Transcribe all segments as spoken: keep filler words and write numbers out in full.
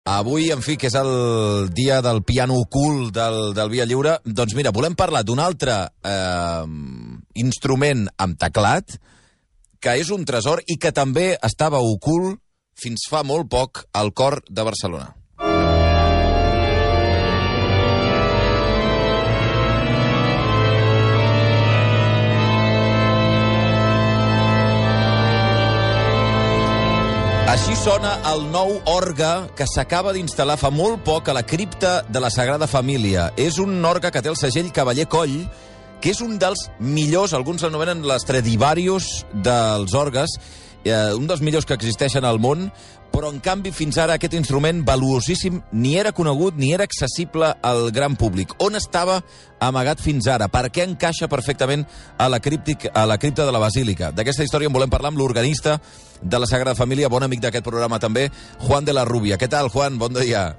Avui, en fi, que és el dia del piano ocult del, del Via Lliure, doncs mira, volem parlar d'un altre eh, instrument amb teclat, que és un tresor i que també estava ocult fins fa molt poc al cor de Barcelona. Així sona el nou orgue que s'acaba d'instal·lar fa molt poc a la cripta de la Sagrada Família. És un orgue que té el segell Cavaller Coll, que és un dels millors, alguns l'anomenen l'Stradivarius dels orgues, eh, un dels millors que existeixen al món, però en canvi fins ara aquest instrument valuosíssim ni era conegut ni era accessible al gran públic. On estava amagat fins ara? Per què encaixa perfectament a la, críptic, a la cripta de la Basílica? D'aquesta història en volem parlar amb l'organista de la Sagrada Família, bon amic d'aquest programa també, Juan de la Rubia. Què tal, Juan? Bon dia.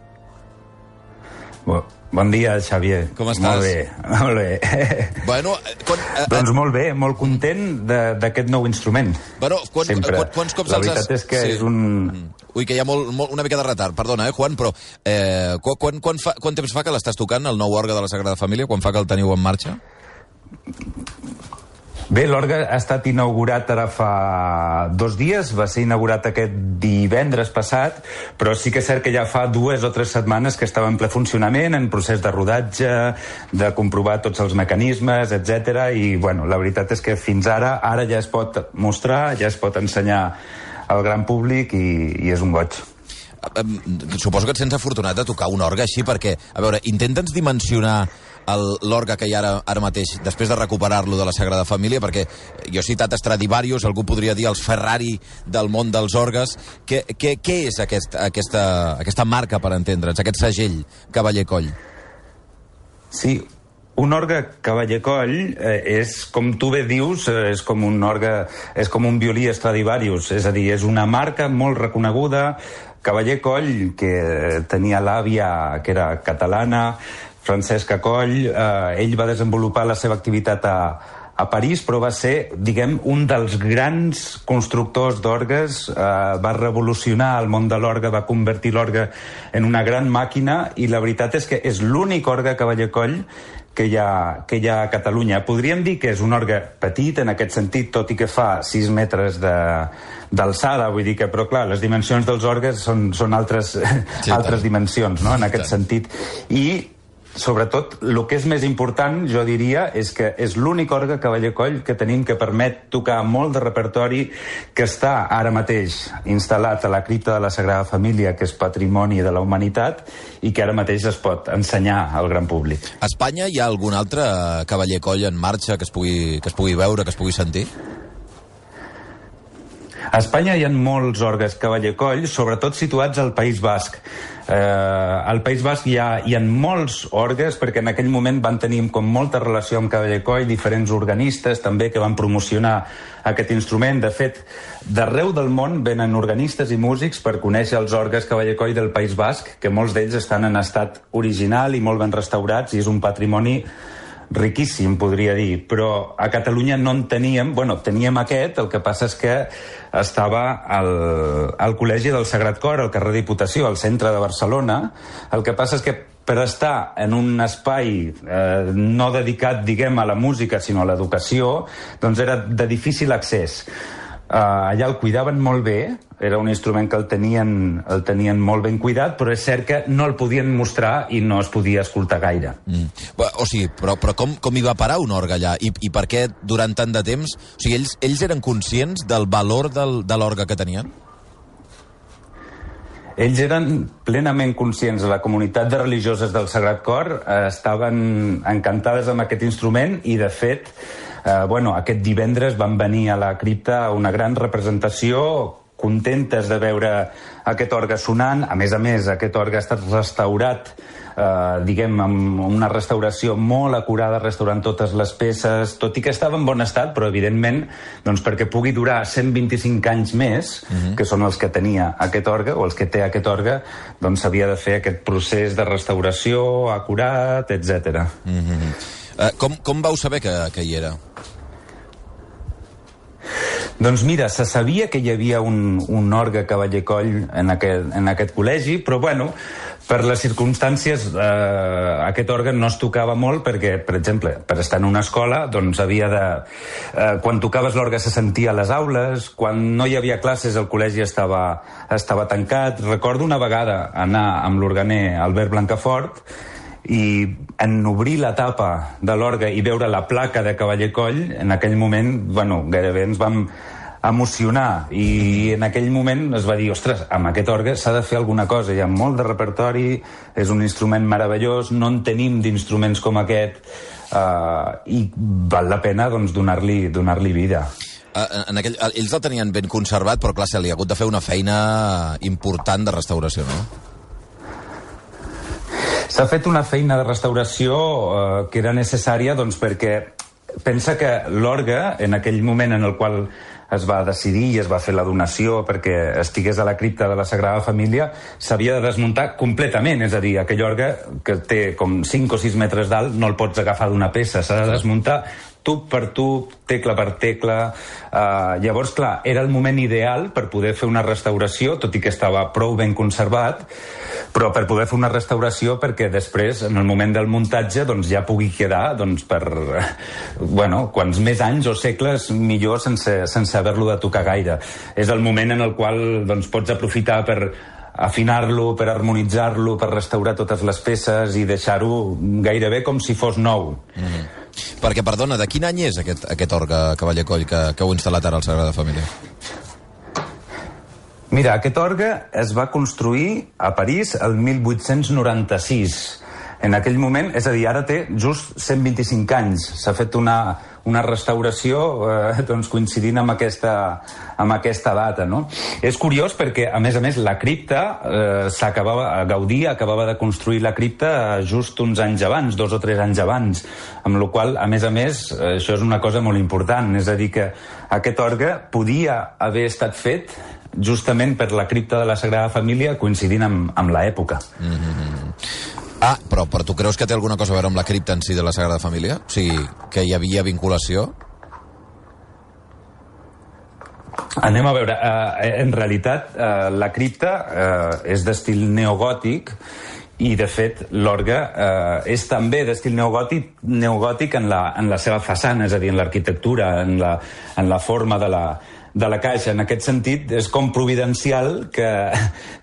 Bon, bon dia, Xavier. Com estàs? Molt bé, molt bé. Bueno, quan, eh, doncs molt bé, molt content d'aquest nou instrument. Bueno, quan, Sempre. Quan, quants cops La els veritat has... és que sí. és un... Ui, que hi ha molt, molt, una mica de retard, perdona, eh, Juan, però eh, quan, quan, fa, quant temps fa que l'estàs tocant, el nou orgue de la Sagrada Família? Quan fa que el teniu en marxa? Bé, l'orgue ha estat inaugurat ara fa dos dies, va ser inaugurat aquest divendres passat, però sí que és cert que ja fa dues o tres setmanes que estava en ple funcionament, en procés de rodatge, de comprovar tots els mecanismes, etcètera. I, bueno, la veritat és que fins ara, ara ja es pot mostrar, ja es pot ensenyar al gran públic i, i és un goig. Suposo que et sents afortunat de tocar un orgue així, perquè, a veure, intenta'ns dimensionar l'orgue que hi ha ara, ara mateix, després de recuperar-lo de la Sagrada Família, perquè jo he citat Stradivarius, algú podria dir els Ferrari del món dels orgues. Què, què, què és aquest, aquesta, aquesta marca, per entendre'ns, aquest segell Cavaller Coll? Sí, un orgue Cavaller Coll eh, és, com tu bé dius, eh, és com un orgue, és com un violí Stradivarius, és a dir, és una marca molt reconeguda. Cavaller Coll, que tenia l'àvia, que era catalana, Francesca Coll, eh, ell va desenvolupar la seva activitat a, a París, però va ser, diguem, un dels grans constructors d'orgues, eh, va revolucionar el món de l'orgue, va convertir l'orgue en una gran màquina, i la veritat és que és l'únic orgue Cavaller Coll que hi ha, que hi ha a Catalunya. Podríem dir que és un orgue petit en aquest sentit, tot i que fa sis metres de, d'alçada, vull dir que, però clar, les dimensions dels orgues són, són altres, sí, altres dimensions, no?, en aquest sentit. I sobretot, el que és més important, jo diria, és que és l'únic orgue Cavaller Coll que tenim que permet tocar molt de repertori, que està ara mateix instal·lat a la cripta de la Sagrada Família, que és patrimoni de la humanitat, i que ara mateix es pot ensenyar al gran públic. A Espanya hi ha algun altre Cavaller Coll en marxa que es pugui, que es pugui veure, que es pugui sentir? A Espanya hi ha molts orgues Cavaller Coll, sobretot situats al País Basc. Eh, al País Basc hi ha, hi ha molts orgues, perquè en aquell moment van tenir com molta relació amb Cavaller Coll, diferents organistes també que van promocionar aquest instrument. De fet, d'arreu del món venen organistes i músics per conèixer els orgues Cavaller Coll del País Basc, que molts d'ells estan en estat original i molt ben restaurats, i és un patrimoni riquíssim, podria dir, però a Catalunya no en teníem, bueno, teníem aquest, el que passa és que estava al, al Col·legi del Sagrat Cor, al carrer Diputació, al centre de Barcelona. El que passa és que per estar en un espai eh, no dedicat, diguem, a la música, sinó a l'educació, doncs era de difícil accés. Uh, allà el cuidaven molt bé, era un instrument que el tenien, el tenien molt ben cuidat, però és cert que no el podien mostrar i no es podia escoltar gaire. Mm. O sigui, però, però com, com hi va parar un orgue allà? I, I per què durant tant de temps? O sigui, ells, ells eren conscients del valor del, de l'orgue que tenien? Ells eren plenament conscients. La comunitat de religioses del Sagrat Cor eh, estaven encantades amb aquest instrument i, de fet, eh, bueno, aquest divendres van venir a la cripta una gran representació, contentes de veure aquest orgue sonant. A més a més, aquest orgue ha estat restaurat, eh, diguem, amb una restauració molt acurada, restaurant totes les peces, tot i que estava en bon estat, però evidentment, doncs, perquè pugui durar cent vint-i-cinc anys més, uh-huh. que són els que tenia aquest orgue, o els que té aquest orgue, doncs s'havia de fer aquest procés de restauració acurat, etcètera. Uh-huh. Uh, com, com vau saber que, que hi era? Doncs mira, se sabia que hi havia un, un orgue Cavaller Coll en aquest, en aquest col·legi, però bueno, per les circumstàncies eh, aquest òrgan no es tocava molt perquè, per exemple, per estar en una escola, doncs havia de... Eh, quan tocaves l'orgue se sentia a les aules, quan no hi havia classes el col·legi estava, estava tancat. Recordo una vegada anar amb l'organer Albert Blancafort i en obrir la tapa de l'orgue i veure la placa de Cavaller Coll, en aquell moment, bueno, gairebé ens vam emocionar, i en aquell moment es va dir, ostres, amb aquest orgue s'ha de fer alguna cosa, hi ha molt de repertori, és un instrument meravellós, no en tenim d'instruments com aquest, uh, i val la pena doncs, donar-li donar-li vida. Uh, en aquell, ells el tenien ben conservat, però clar, se li ha hagut de fer una feina important de restauració, no? S'ha fet una feina de restauració uh, que era necessària, doncs, perquè pensa que l'orgue, en aquell moment en el qual es va decidir i es va fer la donació perquè estigués a la cripta de la Sagrada Família, s'havia de desmuntar completament, és a dir, aquell orgue que té com cinc o sis metres d'alt no el pots agafar d'una peça, s'ha de desmuntar tub per tub, tecla per tecla. Uh, llavors, clar, era el moment ideal per poder fer una restauració, tot i que estava prou ben conservat, però per poder fer una restauració perquè després, en el moment del muntatge, doncs ja pugui quedar doncs, per, bueno, quants més anys o segles millor sense, sense haver-lo de tocar gaire. És el moment en el qual doncs, pots aprofitar per afinar-lo, per harmonitzar-lo, per restaurar totes les peces i deixar-ho gairebé com si fos nou. Mm-hmm. Perquè, perdona, de quin any és aquest, aquest orgue Cavaller Coll que, que heu instal·lat ara al Sagrada Família? Mira, aquest orgue es va construir a París el mil vuit-cents noranta-sis. En aquell moment, és a dir, ara té just cent vint-i-cinc anys. S'ha fet una, una restauració eh, doncs coincidint amb aquesta, amb aquesta data, no? És curiós perquè, a més a més, la cripta eh, s'acabava, Gaudí acabava de construir la cripta just uns anys abans, dos o tres anys abans, amb la qual, a més a més, eh, això és una cosa molt important, és a dir, que aquest orgue podia haver estat fet justament per la cripta de la Sagrada Família coincidint amb, amb l'època. Mm-hmm. Ah, però, però tu creus que té alguna cosa a veure amb la cripta en si de la Sagrada Família? O sigui, que hi havia vinculació? Anem a veure. Uh, en realitat, uh, la cripta uh, és d'estil neogòtic i, de fet, l'orgue uh, és també d'estil neogòtic, neogòtic en la, en la seva façana, és a dir, en l'arquitectura, en la, en la forma de la, de la caixa. En aquest sentit, és com providencial que,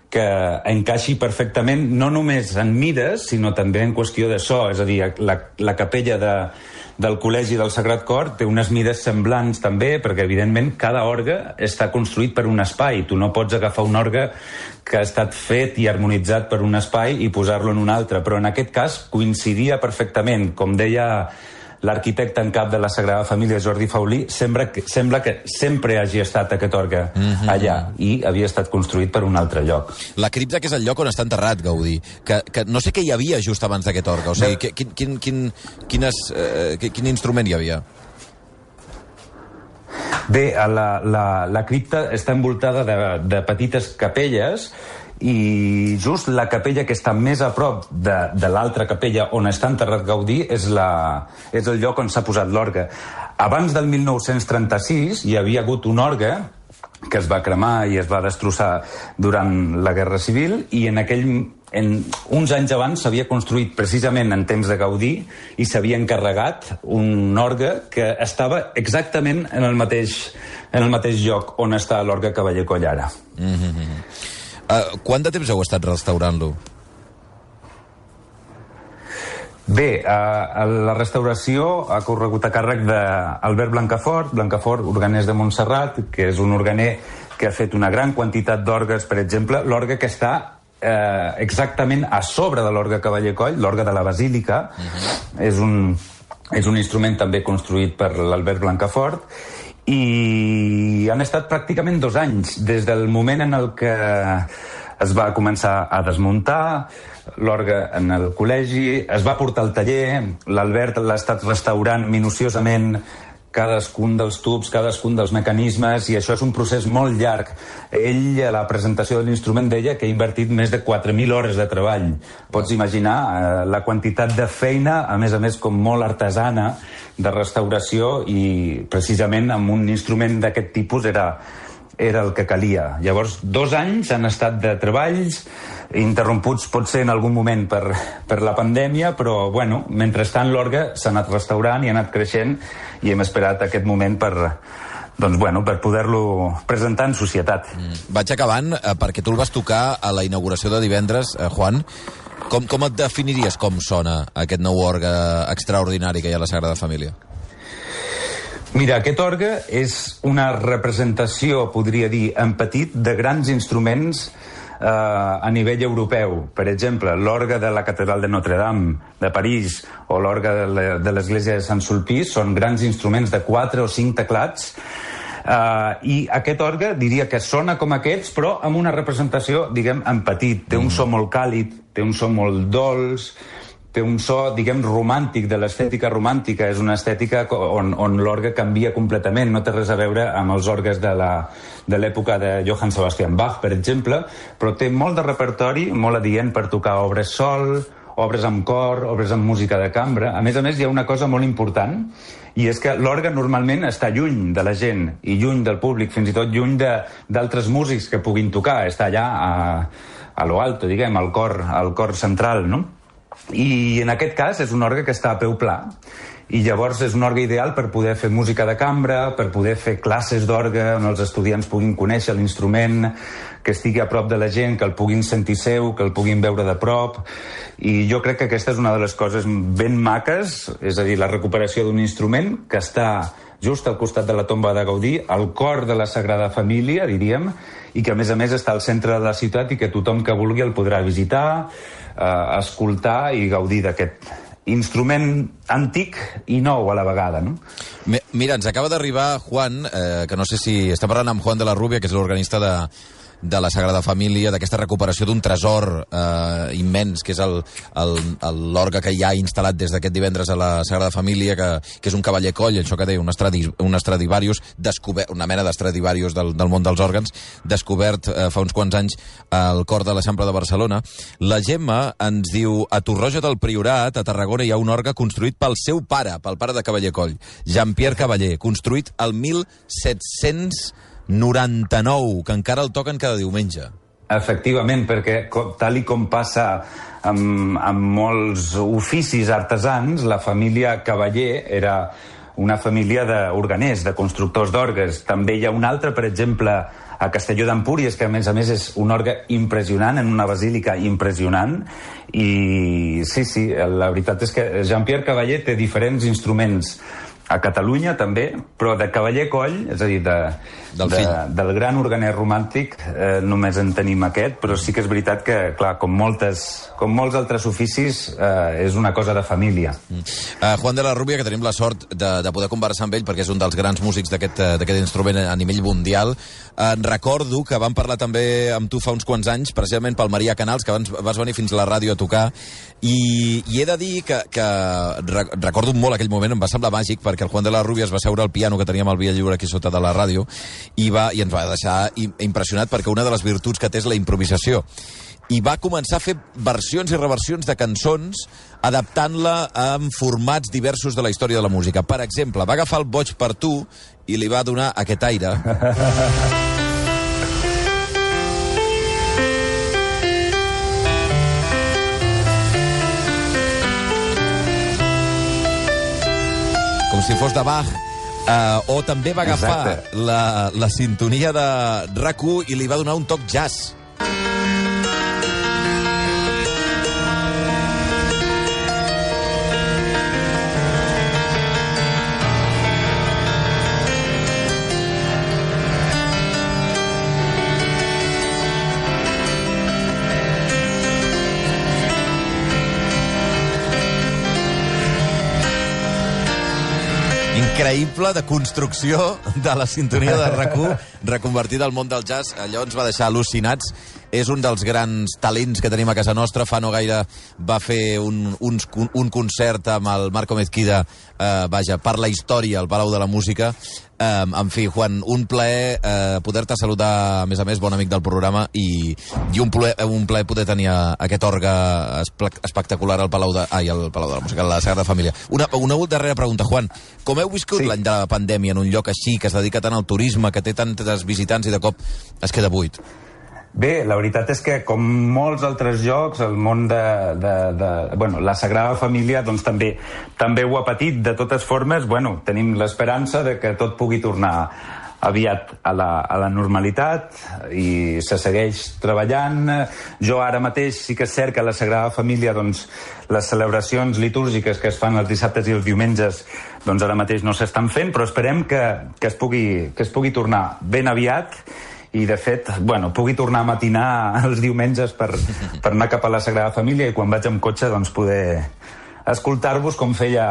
que encaixi perfectament, no només en mides, sinó també en qüestió de so. És a dir, la, la capella de, del Col·legi del Sagrat Cor té unes mides semblants també, perquè evidentment cada orgue està construït per un espai. Tu no pots agafar un orgue que ha estat fet i harmonitzat per un espai i posar-lo en un altre, però en aquest cas coincidia perfectament. Com deia l'arquitecte en cap de la Sagrada Família, Jordi Faulí, sembla que, sembla que sempre hagi estat aquest orgue mm-hmm. allà i havia estat construït per un altre lloc. La cripta, que és el lloc on està enterrat Gaudí, que, que no sé què hi havia just abans d'aquest orgue, o sigui, que, quin, quin, quin, quines, eh, quin instrument hi havia? Bé, la, la, la cripta està envoltada de, de petites capelles i just la capella que està més a prop de, de l'altra capella on està enterrat Gaudí és, la, és el lloc on s'ha posat l'orgue. Abans del mil nou-cents trenta-sis hi havia hagut un orgue que es va cremar i es va destrossar durant la Guerra Civil i en aquell, en, uns anys abans s'havia construït precisament en temps de Gaudí i s'havia encarregat un orgue que estava exactament en el mateix, en el mateix lloc on està l'orgue Cavaller Coll ara. Mm-hmm. Uh, quant de temps heu estat restaurant-lo? Bé, uh, la restauració ha corregut a càrrec d'Albert Blancafort, Blancafort, organers de Montserrat, que és un organer que ha fet una gran quantitat d'orgues, per exemple, l'orgue que està eh, exactament a sobre de l'orgue Cavaller Coll, l'orgue de la Basílica, uh-huh. és, un, és un instrument també construït per l'Albert Blancafort, i han estat pràcticament dos anys, des del moment en el que es va començar a desmuntar l'orgue en el col·legi, es va portar al taller, l'Albert l'ha estat restaurant minuciosament cadascun dels tubs, cadascun dels mecanismes, i això és un procés molt llarg. Ell, a la presentació de l'instrument, deia que ha invertit més de quatre mil hores de treball. Pots imaginar eh, la quantitat de feina, a més a més com molt artesana, de restauració, i precisament amb un instrument d'aquest tipus era, era el que calia. Llavors, dos anys han estat de treballs, interromputs potser en algun moment per, per la pandèmia, però, bueno, mentrestant l'orgue s'ha anat restaurant i ha anat creixent, i hem esperat aquest moment per, doncs, bueno, per poder-lo presentar en societat. Mm. Vaig acabant, eh, perquè tu el vas tocar a la inauguració de divendres, eh, Juan. Com, com et definiries com sona aquest nou orgue extraordinari que hi ha a la Sagrada Família? Mira, aquest orgue és una representació, podria dir, en petit, de grans instruments eh, a nivell europeu. Per exemple, l'orgue de la Catedral de Notre-Dame de París o l'orgue de l'Església de Sant Sulpice són grans instruments de quatre o cinc teclats. Uh, I aquest orgue diria que sona com aquests, però amb una representació, diguem, en petit. Té un so molt càlid, té un so molt dolç, té un so, diguem, romàntic, de l'estètica romàntica. És una estètica on, on l'orgue canvia completament, no té res a veure amb els orgues de la, de l'època de Johann Sebastian Bach, per exemple, però té molt de repertori, molt adient per tocar obres sol, obres amb cor, obres amb música de cambra. A més a més, hi ha una cosa molt important, i és que l'orgue normalment està lluny de la gent i lluny del públic, fins i tot lluny d'altres músics que puguin tocar. Està allà a, a lo alto, diguem, al cor, al cor central, no? I en aquest cas és un orgue que està a peu pla, i llavors és un orgue ideal per poder fer música de cambra, per poder fer classes d'orgue on els estudiants puguin conèixer l'instrument, que estigui a prop de la gent, que el puguin sentir seu, que el puguin veure de prop. I jo crec que aquesta és una de les coses ben maques, és a dir, la recuperació d'un instrument que està just al costat de la tomba de Gaudí, al cor de la Sagrada Família, diríem, i que a més a més està al centre de la ciutat i que tothom que vulgui el podrà visitar, eh, escoltar i gaudir d'aquest instrument antic i nou a la vegada, no? Mira, ens acaba d'arribar Juan, eh, que no sé si... Està parlant amb Juan de la Rubia, que és l'organista de, de la Sagrada Família, d'aquesta recuperació d'un tresor eh, immens, que és l'orgue que hi ha instal·lat des d'aquest divendres a la Sagrada Família, que, que és un cavaller coll, això que deia, un, estradi, un Stradivarius, descobert, una mena d'Stradivarius del, del món dels òrgans, descobert eh, fa uns quants anys al cor de l'Eixample de Barcelona. La Gemma ens diu: a Torroja del Priorat, a Tarragona, hi ha un orgue construït pel seu pare, pel pare de Cavaller Coll, Jean-Pierre Cavaller, construït el mil set-cents noranta-nou, que encara el toquen cada diumenge. Efectivament, perquè tal i com passa amb, amb molts oficis artesans, la família Cavaller era una família d'organers, de constructors d'orgues. També hi ha un altre, per exemple, a Castelló d'Empúries, que a més a més és un orgue impressionant, en una basílica impressionant. I sí, sí, la veritat és que Jean-Pierre Cavaller té diferents instruments a Catalunya també, però de Cavaller Coll, és a dir, de, del, de, del gran organer romàntic, eh, només en tenim aquest, però sí que és veritat que, clar, com, moltes, com molts altres oficis, eh, és una cosa de família. Mm. Uh, Juan de la Rubia, que tenim la sort de, de poder conversar amb ell, perquè és un dels grans músics d'aquest instrument a nivell mundial. Uh, recordo que vam parlar també amb tu fa uns quants anys, precisament pel Maria Canals, que abans vas venir fins a la ràdio a tocar, i, i he de dir que, que recordo molt aquell moment, em va semblar màgic, perquè el Juan de la Rubia es va seure al piano que teníem al Via Lliure aquí sota de la ràdio i, va, i ens va deixar impressionat, perquè una de les virtuts que té és la improvisació. I va començar a fer versions i reversions de cançons, adaptant-la en formats diversos de la història de la música. Per exemple, va agafar el Boig per tu i li va donar aquest aire. Com si fos de Bach. Uh, o també va agafar la, la sintonia de R A C u i li va donar un toc jazz. Increïble de construcció de la sintonia de R A C u reconvertida al món del jazz. Allò ens va deixar al·lucinats. és un dels grans talents que tenim a casa nostra. Fa no gaire va fer un, un, un concert amb el Marco Mezquida, eh, vaja, per la història al Palau de la Música. Eh, en fi, Juan, un plaer eh, poder-te saludar, a més a més, bon amic del programa, i, i un, plaer, un plaer poder tenir aquest orgue espectacular al Palau de, ai, al Palau de la Música, a la Sagrada Família. Una, una darrera pregunta, Juan. Com heu viscut sí. l'any de la pandèmia en un lloc així, que es dedica tant al turisme, que té tantes visitants i de cop es queda buit? Bé, la veritat és que, com molts altres llocs, el món de... de, de bueno, la Sagrada Família doncs, també, també ho ha patit. De totes formes, bueno, tenim l'esperança de que tot pugui tornar aviat a la, a la normalitat i se segueix treballant. Jo ara mateix sí que és cert que a la Sagrada Família doncs, les celebracions litúrgiques que es fan els dissabtes i els diumenges doncs ara mateix no s'estan fent, però esperem que, que, es pugui, que es pugui tornar ben aviat i, de fet, bueno, pugui tornar a matinar els diumenges per, per anar cap a la Sagrada Família i quan vaig amb cotxe doncs, poder escoltar-vos com feia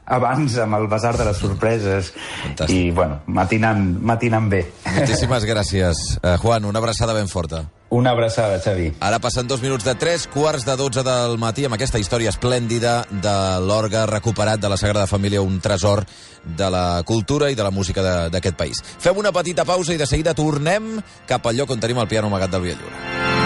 abans amb el Basar de les Sorpreses. Fantàstic. I, bueno, matinant, matinant bé. Moltíssimes gràcies, uh, Juan. Una abraçada ben forta. Una abraçada, Xavi. Ara passen dos minuts de tres, quarts de dotze del matí, amb aquesta història esplèndida de l'orgue recuperat de la Sagrada Família, un tresor de la cultura i de la música d'aquest país. Fem una petita pausa i de seguida tornem cap al lloc on tenim el piano amagat del Via Lliure.